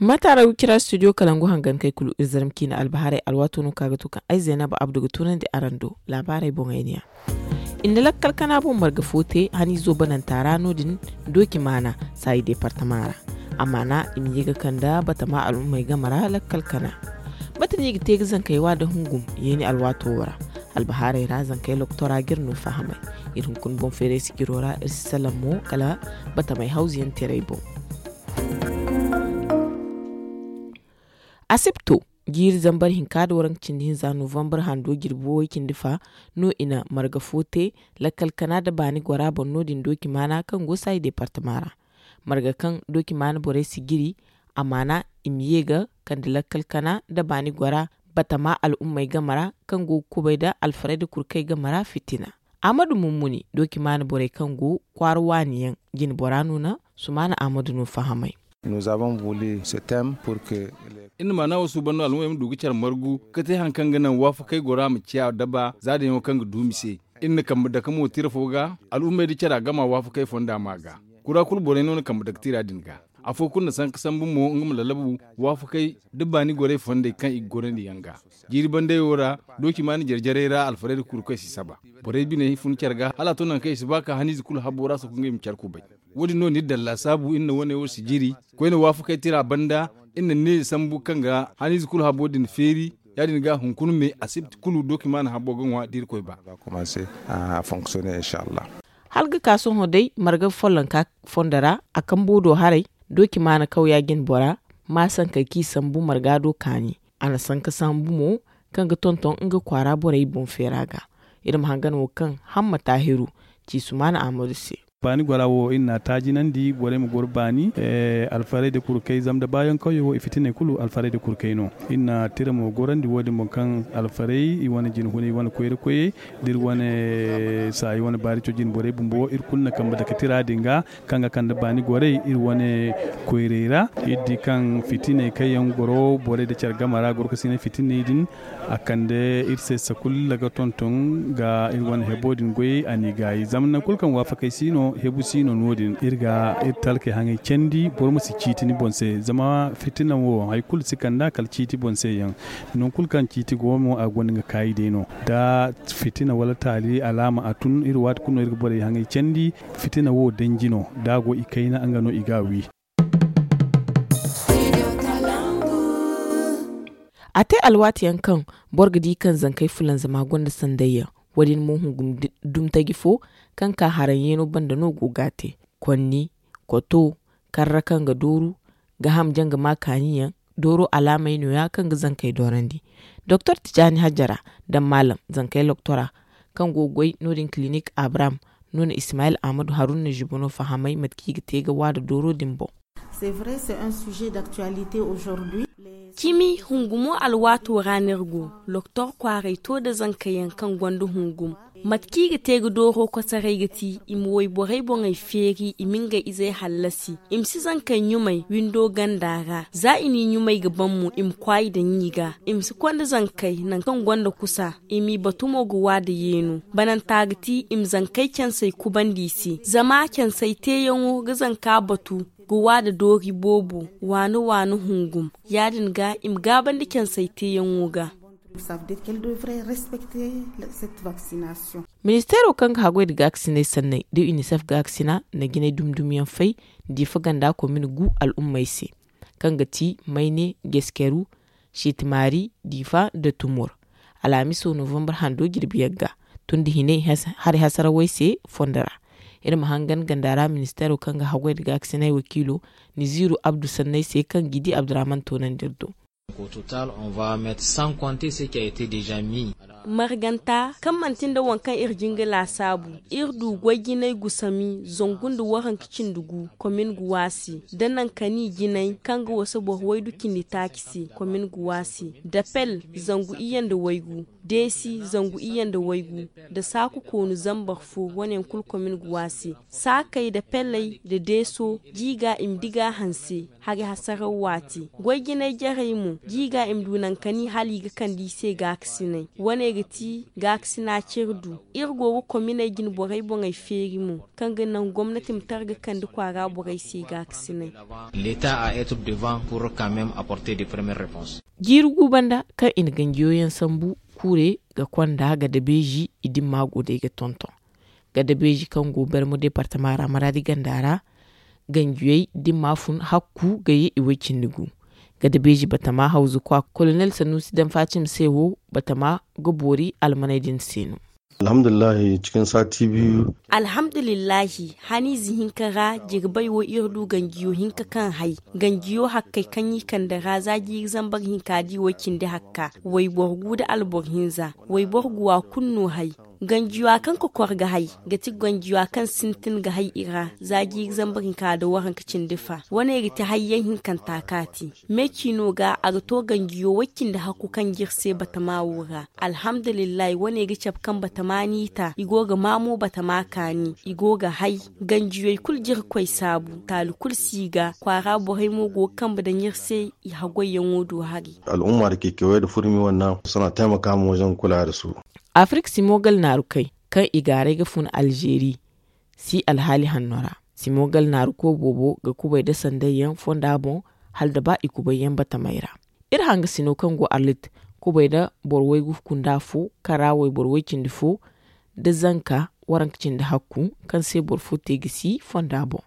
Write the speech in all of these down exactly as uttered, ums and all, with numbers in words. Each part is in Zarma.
Mataara wicira studio kalangu hangan kay kulu iri zarma ciine albahaarey alwaato no kaŋ a ga to kaŋ ay zaynaba abdu ga tunandi araŋ do. Laabaarey boŋey ne ya. I na lakkal kana boŋ marga fo te haniizo bananta ra no- din dooci maana saayi deepartama ra. Amaana i ma ye ga kande batama al'ummey game ra lakkal kana. Mate no i ga te ga zankey wa nda hungum yeeni alwaato wo ra? Albahaarey ra zankey loktora ga iri no fahamay. Iri hunkuna boŋ feeray sijiro ra iri si salaŋ mo kala batamey hawzu yaŋ teeray boŋ. Asibto jiiri zambar hinka nda waranka cindi hinza novambar hando jirbi way cindi fa no i na marga fo te lakkal kana nda baani gora boŋ no- din dooci maana kaŋ go saayi deepartama ra. Marga kaŋ dooci maana borey si jiri a maana i ma ye ga kande lakkal kana nda baani gora batama al'ummey game ra kaŋ go ga kubay nda alfarayda kurkey game ra fitina. Ahmadu mummuni dooci maana borey kaŋ go kwaara waani yaŋ jine bora no na sumaana ahmadu no fahamay. Iri na maana wo suuban no al'ummey ma du ga care margu ga te hari kaŋ ga naŋ waafakey gora ma ciya daba za da yaŋo kaŋ ga duumi se. Iri na kambe dake mo tira fo ga al'ummey da cara gama waafakey fonda ma ga. Kura kulu borey no na kambe dake tira din ga. Afo kulu na sanka sambu mo nga ma lallabu waafakey da baani gorey fondey kaŋ i ga gorandi yaŋ ga. Jiiri bandey wo ra dooci maana jare-jarey ra alfarayda kurkey si saba. Borey biney fun care ga hala a to nangu kaŋ i si ba ka haniize kulu habbo ra soko ngey ma care kubay. Wo- din no ni daŋ laasaabu iri na wane wo si jiri koyne waafakey tira banda. Iri na neeya sambu kaŋ ga haniize kulu habbo din feeri. Ya- din ga hunkuna me asibti kulu dooki maana habbo ga ŋwa da irkoy ba. Hala ga ka sohõ day marga follonka fondo ra a kambo do haray dooki maana kawya jine bora ma sankey kaŋ i sambu marga do kaani. A na sanka sambu mo kaŋ ga tonton nga kwaara borey boŋ feera ga. Iri ma hangan wo kaŋ hamma taahiru ci sumaana ahmadu se. Baani gora wo iri n'a taajinandi borey ma goro baani alfarayda kulu kay zama da baayaŋ kawyo wo i fitiney kulu alfarayda kulu kay no. Iri na tira mo gorandi wo- din boŋ kaŋ alfaray i wane jinahunay i wane koyra koyey da iri wane saayi wane baari cojin borey bumbo iri kulu na kambe dake tira din ga kaŋ ga kande baani gorey iri wane koyrey ra. Iri di kaŋ fitiney kaŋ yaŋ goro borey nda care game ra goro ga sinay fitiney din a kande iri se sakul laga tonton ga iri wane hebo din goyey a n'i gaayi zama nangu kulu kaŋ waafakey si no hebu si no no- din iri ga iri talkey haŋey candi boro ma si ciiti ni boŋ se zama fitina wo hari kulu si kand'a kala ciiti boŋ se yaŋ. Nangu kulu kaŋ ciiti go mo a gonda nga kaayi day no da fitina wala taali alaama a tun iri waati kulu no iri ga borey haŋey candi. Fitina wo danji no da a go i kayna nga no i ga a wi. A te alwaati yaŋ kaŋ boro ga di kaŋ zankey fulanzama gonda sanday yaŋ. Wo- din mo hungum dumi taji fo kaŋ ka haraŋ yeeno banda no go ga a te. Konni, koto, karra kaŋ ga dooru, ga ham janga ma kaani yaŋ dooro alaamey no- ya kaŋ ga zankey doorandi. Doktor tijaani hajjara daŋ maalam zankey loktora kaŋ go ga goy no- din kilinik abraham no na ismayil ahmadu haruna na zibo no fahamay mate kaŋ i ga te ga waada dooro din boŋ. Cimi hungumo alwaato ra no iri go. Loktor kwaaray to nda zanka yaŋ kaŋ gonda hungum. Mate kaŋ i ga te ga dooro kosoray ga ti i ma wayborey boŋey feeri i ma ngey izey hallasi. I ma si zankey ɲumay windo ganda ra za i n'i ɲumay ga ban mo i ma kwaay daŋ i ga. I ma si konda zankey nangu kaŋ gonda kusa. I m'i batu mo ga waada yeenu. Bananta ga ti i ma zankey cansey kubandi i se zama cansey teeyaŋo ga zanka batu ga waada doori boobo waani waani hungum. Ya- din ga i ma gaabandi cansey teeyaŋo ga. Ministeero kaŋ ga haggoy nda gaakasinay sanney da unicef gaakasina na jinay dumi dumi yaŋ fay diifa ganda komin gu al'ummey se, kaŋ ga ti mayne, geskeru, sheetimaari, diifa nda tumur. Alhamiso novambar hando jirbi yagga tun nda hinay hari hasarawey se fondo ra. Iri ma hangan ganda ra ministeero kaŋ ga haggoy nda gaakasinay wakiilo niziiru abdu sanney se kaŋ g'i di abdurahman toonandi iri do. Marganta kaŋ manti nda waŋ kaŋ iri jin ga laasaabu, iri du goy jinay gusami zangu nda waranka cindi gu komin ga waasi nda nankani jinay kaŋ ga wasa boro waydu cindi taaci se komin ga waasi, dapel zangu iyye nda waygu, deesi zangu iyye nda waygu, nda saaku koonu zambar fo wane yaŋ kulu komin ga waasi. Saakey nda peley nda deeso, jiiga i ma diga hanse hari hasaraw waati. Goy jinay jarey mo jiiga i ma du nankani hala i ga kande i se gaakasinay wane. Ga ti gaakasina cire du. Iri go ga kominey jine borey boŋey feeri mo, kaŋ ga naŋ gomnati ma targa kande kwaara borey se gaakasinay. L'état a être devant pour quand même apporter des premières réponses. Jiiri gu banda kaŋ i na ganjiyo yaŋ sambu, kuure ga konda ga dabeeji i dimma go day ga tonton. Ga dabeeji kaŋ go bermo departama ra maraadi ganda ra, ganjiyey dimma fun hakku ga ye i way cindi gu. Ga dabeeji batama hawzu kwa kolonel sanusi danfacim se wo, batama ga boori almaney din se no. Alhamdulillahi, cikin sati biyu. Alhamdulillahi, haniize hinka ra jirbay wo iri du ganjiyo hinka kaŋ hay. Ganjiyo hakkey kaŋ i kande ra za jiiri zambar hinka di way cindi hakka, wayboro gu da alboro hinza, wayboro guwa kulu no hay. Ganjiyo kaŋ kokor ga hay, ga ti ganjiyo kaŋ sintin ga hay i ra za jiiri zambar hinka da waranka cindi fa. Wane ga ti hayyaŋ hinkanta kaati. Meeci no ga a ga to ganjiyo way cindi hakku kaŋ jiri se batama wo ra. Alhamdulillahi, wane ga cabe kaŋ batama n'i ta, i go ga maamo batama kaani, i go ga hay. Ganjiyey kulu jirkoy saabu, taali kulu si ga kwaara borey mo go ga kambe daŋ iri se. I haggoyyaŋo do hari. Al'umma da ke kewaye da furmi wannan suna taimaka ma wajen kula da su. Afirka simo gal naaru kay kaŋ i gaaray ga fun alzeeri si alhaali hanno ra. Simo gal naaru ko boobo ga kubay da sandayyaŋ fonda boŋ, hala da ba i kubayyaŋ batamey ra. Iri hangasino kaŋ go arlit kubay da boro waygu kunda fo, kara wayboro way cindi fo da zanka waranka cindi hakku, kaŋ se boro fo te ga si fonda boŋ.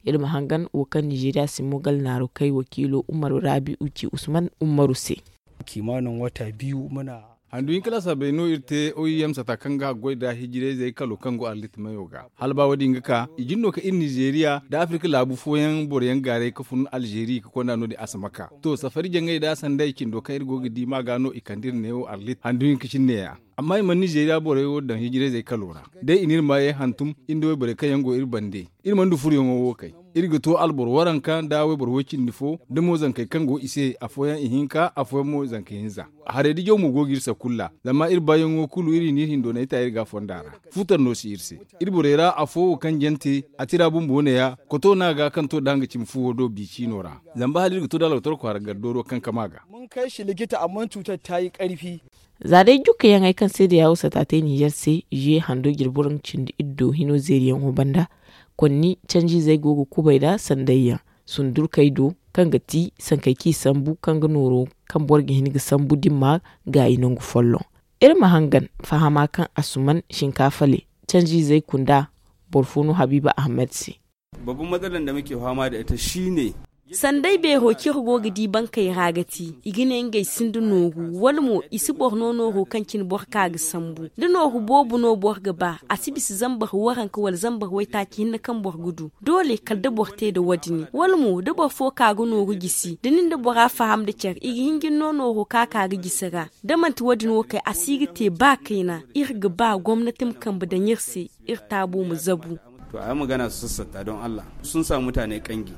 Iri ma hangan wo kaŋ nizeeriya simo gal naaru kay wakiilo umaru rabi'u ci usman umaru se. Kimanin wata biyu muna handu hinka laasabey no iri te oim sata kaŋ ga haggoy da hijirayzey kalo kaŋ go arlit mayo ga. Hala ba wo-din ga ka i jin no ka iri nizeeriya nda afirka laabu fooyaŋ boroyaŋ gaaray ka fun alzeeri ka konda no-din a si ma ka. To safari jaŋay da sanday cindo kaŋ iri go ga di ma ga no i kande iri neewo arlit handu hinka cine ya. Amma i mana nizeeriya borey wo daŋ hijirayzey kalo ra. Day i n'iri maayey hantum iri nda wayborey kaŋ yaŋ go iri bande. Iri mana du furoyaŋo wo kay. Iri ga to alboro waranka nda wayboro way-cindi fo da mo zankey kaŋ go i se, afooyaŋ ihinka, afooyaŋ mo zanka hinza. Haray da jaw mo go ga iri sakulla. Zama iri baayaŋo kulu iri n'iri hindoonay ta iri ga fonda ra. Futar no si iri se. Iri borey ra afo wo kaŋ jante a tira bumbo neeya koto no a ga kaŋ to da nga cimi fuwo do biiciino ra. Zamba hala iri ga to da alwatar kwaara gardooro kaŋ kama ga. Mun kai shi likita amma cutar ta yi karfi. Za day jukkayaŋey kaŋ se da yaawusa ta te ninzeer se, zuye hando jirbi waranka cindi iddo hino zeeriyaŋo banda, konni canjiizey go ga kubay nda sandayyaŋ sundurkey do, kaŋ ga ti sankey kaŋ i sambu kaŋ ga nooro kaŋ boro ga hin ga sambu dimma gaayi nangu folloŋ. Iri ma hangan fahama kaŋ asuman shinkaafale canjiizey kunda boro fo no habiiba ahamed se. Babban matsalar da muke fama da ita shine. Sanday beero kaŋ iri go ga di bankey ra ga ti i ga ne ngey sinda nooru wala mo i si boro no nooro kaŋ cine boro ka ga sambu da nooru boobo no boro ga ba a si bisa zambar waranka wala zambar waytaaci hinne kaŋ boro ga du. Doole kala da boro te nda wo- din wala mo da boro fo ka ga nooru gisi da nin da bora faham nda care i ga hin ga ni no nooro ka ka ga gisi ra. Da manti wo- din wo kay a si ga te ba kayna. Iri ga ba gomnati ma kambe daŋ iri se iri taabo ma zabu. To a yi magana su sassata don allah sun samu mutane kangi.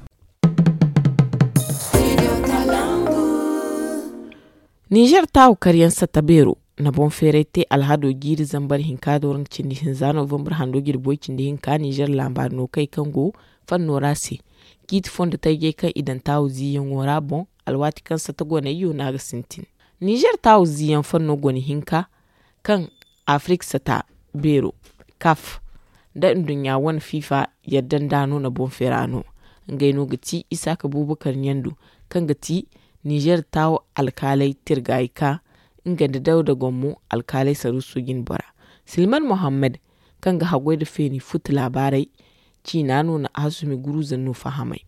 Ninzeer taawu karyaŋ satta beero na boŋ feeray te alhado jiiri zambar hinka da waranka cindi hinza novambar hando jirbi way cindi hinka ninzeer laambaari no kay kaŋ go fanno ra se. Ciiti fondo tajey kaŋ i daŋ taawu ziiyaŋo ra boŋ alwaati kaŋ satta goney yo no a ga sintin. Ninzeer taawu ziiyaŋ fanno gone hinka kaŋ afirik sata beero kaf nda nduɲɲa wane fiifa yadda nda no na boŋ feera no. Ngey no ga ti isaaka buubakar ɲandu kaŋ ga ti ninzeer taawo alkaaley tirgaayi ka nga nda dawda gommo alkaaley saruuso jine bora silman muhammad kaŋ ga haggoy nda feeni futu laabaarey ciina no na hasumi guruuza no fahamay.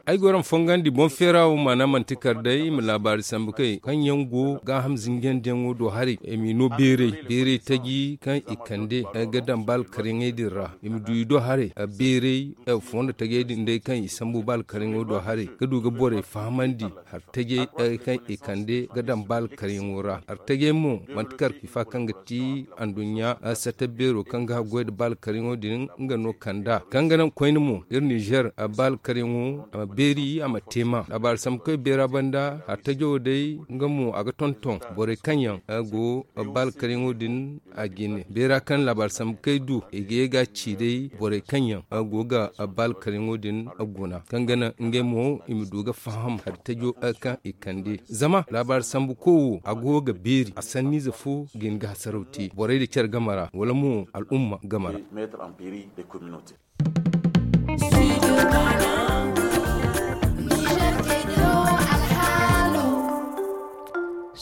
Ay go iri ma fongandi boŋ feera wo maana manti kala day i ma laabaari sambu kay kaŋ yaŋ go gaaham zinjandiyaŋo do haray i m'i no beeray beeray taji kaŋ i kande ga daŋ ba alkaryaŋey din ra i ma du i do haray beeray fondo tajey din day kaŋ i sambu ba alkaryaŋo do haray ga du ga borey fahamandi. Hari tajey kaŋ i kande ga daŋ ba alkaryaŋo ra hari tajey mo manti kala kifa kaŋ ga ti anduɲɲa satta beero kaŋ ga haggoy nda ba alkaryaŋo din nga no kand'a kaŋ ga naŋ koyne mo iri n'i. Nizer, a ba alkaryaŋo a ma beeri a ma te ma laabaari sambu kaŋ ay beera banda hartajo day nga mo a ga tonton borey kaŋ yaŋ go ba alkaryaŋo din a ga i ne beera kaŋ laabaari sambu kaŋ ay du i ga ye ga a ci day borey kaŋ yaŋ go ga ba alkaryaŋo din guna kaŋ ga naŋ ngey mo i ma du ga faham hartajo kaŋ i kande zama laabaari sambu koy wo a go ga beeri a sanniize fo ga hin ga hasaraw te borey da care game ra wala mo al'umma game ra.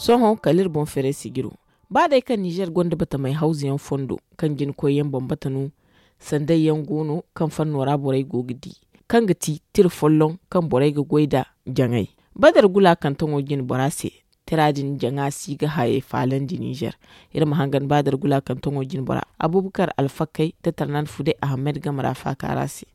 Sohõ kala iri boŋ feeray sijiro ba day kaŋ nizer gonda batamey hawzu yaŋ fondo kaŋ jina koyyaŋ bambata no. Sanday yaŋ go no kaŋ fanno ra borey go ga di kaŋ ga ti tira folloŋ kaŋ borey ga goy nd'a jaŋay. Badar gula kantaŋo jine bora se tira din jaŋa si ga hayey faalandi nizer. Iri ma hangan badar gula kantaŋo jine bora abubakar alfakay da tarnan fude ahamed game ra faaka ra se.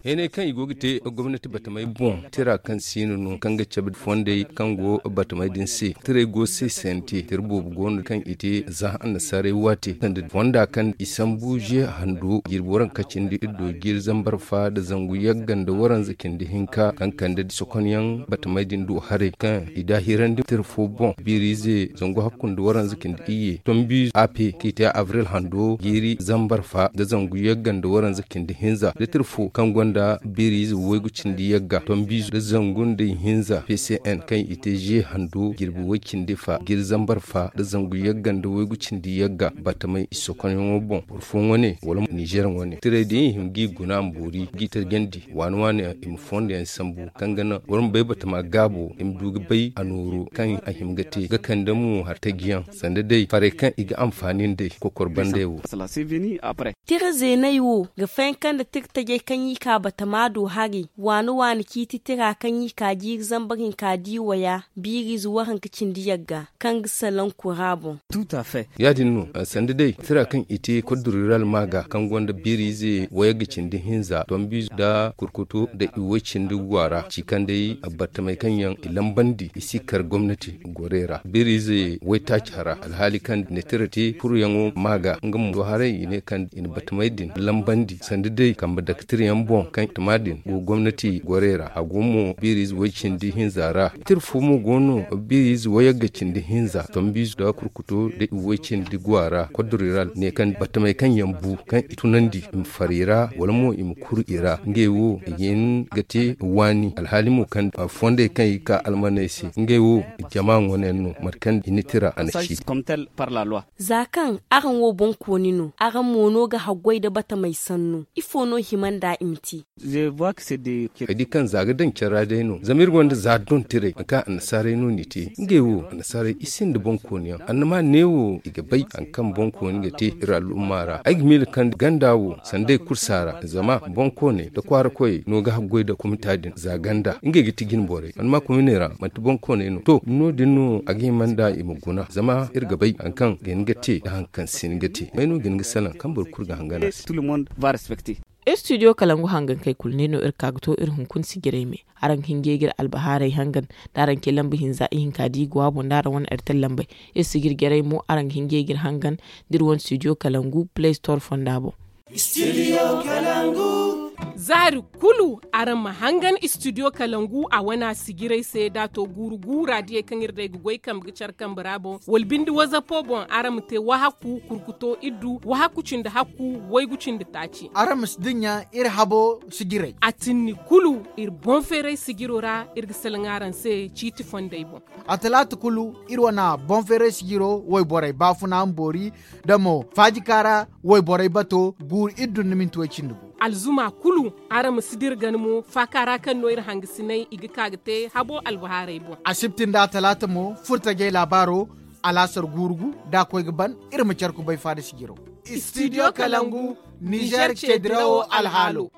Heeney kaŋ i go ga te gomnati batamey boŋ tira kaŋ siino no kaŋ ga cabe fondey kaŋ go batamey din se tirey go se sante tira boobo go no kaŋ i te za annasaarey waate sanda fonda kaŋ i sambu ze hando jirbi waranka cindi iddo jiiri zambar fa nda zangu yagga nda waranza cindi hinka kaŋ kande sokonyaŋ batamey din du haray kaŋ i daahirandi tira fo boŋ biiriize zangu hakku nda waranza cindi iyye tombi ape kaŋ i te abril hando jiiri zambar fa nda zangu yagga nda waranza cindi hinza litir fo kaŋ gonda biiriize waygu cindi yagga tombiizo nda zangu nda ihinza pcn kaŋ i te ze hando jirbi way cindi fa jiiri zambar fa nda zangu yagga nda waygu cindi yagga batamey i sokonyaŋo boŋ boro fooyaŋ wane wala nizer wane tirey din i hima g'i guna ma boori g'i tarjandi waani waani i ma fondo yaŋ sambu kaŋ ga naŋ boro ma bay batama gaabo i ma du ga bay a nooru kaŋ a hima ga te ga kande mo hartajiyaŋ sanda day farey kaŋ i ga anfaani nd'ey kokor bandey wo. Tira zeeney wo ga fayanka nda tira tajey kaŋ i ka batama do haray waani waani ciiti tira kaŋ i ka jiiri zambar hinka di waya biiriize waranka cindi yagga kaŋ ga salaŋ kura boŋ. Ya- din no sanda day tira kaŋ i te koddo rural maaga kaŋ gonda biiriize wayagga cindi hinza tombiizo nda kurkuto nda iway cindi go a ra ci kaŋ day battamey kaŋ yaŋ i lambandi i si kar gomnati gorey ra biiriize waytaaci hara alhaali kaŋ i na tira te furyaŋo maaga nga mo do haray i ne kaŋ i na battamey din lambandi sanda day kambe dake tirayaŋ boŋ kaŋ batama din go gomnati gorey ra a go mo biiriize way cindi hinza ra tira fo mo go no biiriize wayagga cindi hinza tombiizo nda kurkuto nda iway cindi go a ra koddo rural ne kaŋ battamey kaŋ yaŋ bu kaŋ i tunandi i ma far i ra wala mo i ma kuru i ra ngey wo i ga hin ga te waani alhaali mo kaŋ fondey kaŋ i ga ka almaney se ngey wo jama ŋwanayaŋ no mate kaŋ i na tira a na ci. Za kaŋ araŋ wo boŋkooni no araŋ mo no ga haggoy nda batamey sannu ifo no hima nd'a i ma te? Ay di kaŋ za ga daŋ care ra day no zama iri gonda za dontirey nangu kaŋ annasaarey no n'i te ngey wo annasaarey i sinda boŋkooniyaŋ annama neewo i ga bay hari kaŋ boŋkooni ga te iri al'umma ra ay ga miila kaŋ ganda wo sanda ay kursa ra zama boŋkooney nda kwaara koyey no ga haggoy nda kumita din za ganda ngey ga ti jine borey annama kuminey ra manti boŋkooney no to no- din no a ga hima nda i ma guna zama iri ga bay hari kaŋ ga hin ga te nda hari kaŋ si hin ga te may no ga hin ga salaŋ kaŋ boro kulu ga hangan a se. Studio kalangu hangan kay kulu ne no iri ka ga to iri hunkuna sijirey me. Araŋ ga hin ga ye ga iri albahaaray hangan da araŋ ce lamba hinza ihinka da i go a boŋ da araŋ wane airtel lambey. Iri sijir jarey mo araŋ ga hin ga ye ga iri hangan da iri wane studio kalangu play store fonda boŋ. Za hari kulu araŋ ma hangan studio kalangu a wana sijirey se da a to guuru gu raadiyey kaŋ iri day ga goy kambe ga care kambe ra boŋ wala binde wazapo boŋ araŋ ma te wahakku kurkuto iddu wahakku cindi hakku waygu cindi taaci. Araŋ ma si dinya iri habo sijirey. A tinni kulu iri boŋ feeray sijiro ra iri ga salaŋ araŋ se ciiti fondey boŋ. A talaata kulu iri wana boŋ feeray sijiro wayborey baafuna ma boori da mo faajika ra wayborey bato guuru iddu nda minti way cindi gu. Alzuma kulu araŋ ma si dira gana mo faaka ra kaŋ no iri hangasinay i ga ka ga te habo albahaaray boŋ. Asibti nda talaata mo furtajey laabaaro alaasar guuru gu da a koy ga ban iri ma care kubay faada sijiro. Studio kalangu nizer ce dirawo alhaalo.